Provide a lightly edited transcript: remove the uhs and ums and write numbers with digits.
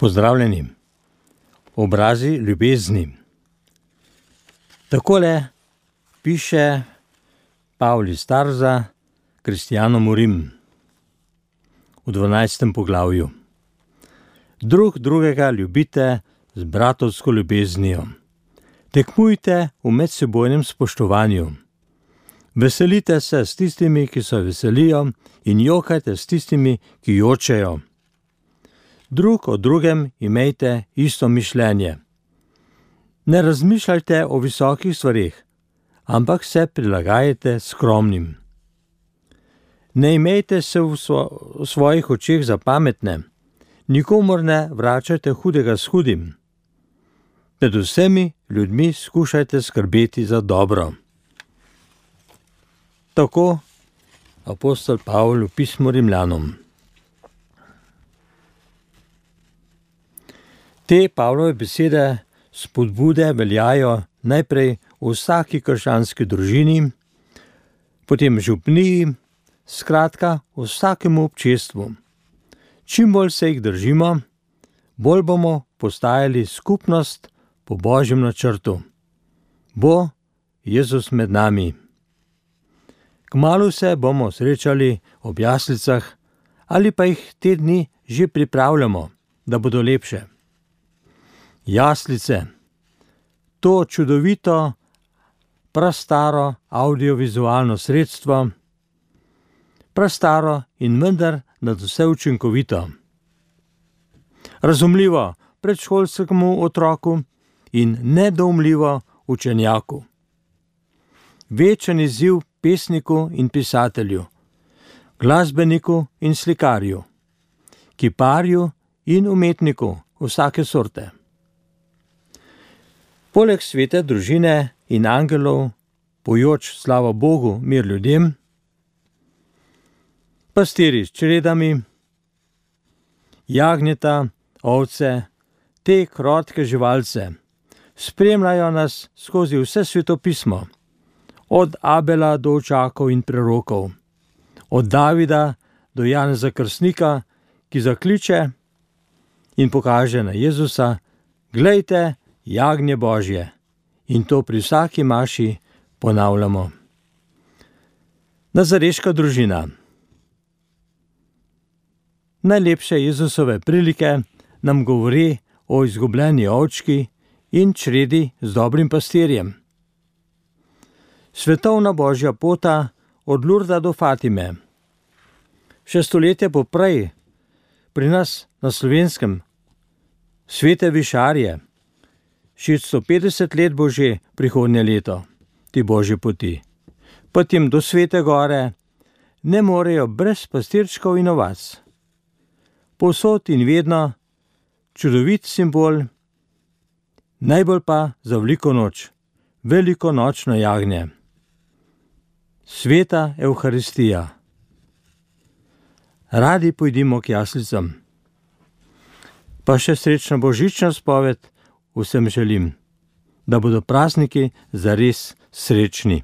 Pozdravljeni. Obrazi ljubezni. Takole piše Pavol iz Tarza kristjanom v Rim v 12. poglavju. Drug drugega ljubite z bratovsko ljubeznijo. Tekmujte v medsebojnem spoštovanju. Veselite se s tistimi, ki se veselijo, in jokajte s tistimi, ki jočejo. Drug o drugem imejte isto mišljenje. Ne razmišljajte o visokih stvareh, ampak se prilagajajte skromnim. Ne imejte se v svojih očeh za pametne, nikomur ne vračajte hudega s hudim. Pred vsemi ljudmi skušajte skrbeti za dobro. Tako apostol Pavol v pismu Rimljanom. Te Pavlove besede spodbude veljajo najprej v vsaki krščanski družini, potem župniji, skratka v vsakemu občestvu. Čim bolj se jih držimo, bolj bomo postajali skupnost po Božjem načrtu. Bo Jezus med nami. Kmalu se bomo srečali ob jaslicah ali pa jih te dni že pripravljamo, da bodo lepše. Jaslice, to čudovito, prastaro audiovizualno sredstvo, prastaro in vendar nadvse učinkovito. Razumljivo predšolskemu otroku in nedoumljivo učenjaku. Večen izziv pesniku in pisatelju, glasbeniku in slikarju, kiparju in umetniku vsake sorte. Poleg svete družine in angelov, pojoč slava Bogu, mir ljudem, pastirji s čredami, jagnjeta, ovce, te krotke živalce, spremljajo nas skozi vse svetopismo, od Abela do očakov in prerokov, od Davida do Janeza Krstnika, ki zakliče in pokaže na Jezusa: glejte, jagnje Božje, in to pri vsaki maši ponavljamo. Nazareška družina. Najlepše Jezusove prilike nam govori o izgubljeni ovčki in čredi z dobrim pastirjem. Svetovna Božja pota od Lurda do Fatime. Še stoletje poprej pri nas na Slovenskem svete višarje. 650 let bo že prihodnje leto ti Božje poti. Potem do Svete gore ne morejo brez pastirčkov in ovac. Povsod in vedno čudovit simbol, najbolj pa za veliko noč, velikonočno jagnje. Sveta Evharistija. Radi pojdimo k jaslicam. Pa še srečna božična spoved vsem želim, da bodo prazniki zares srečni.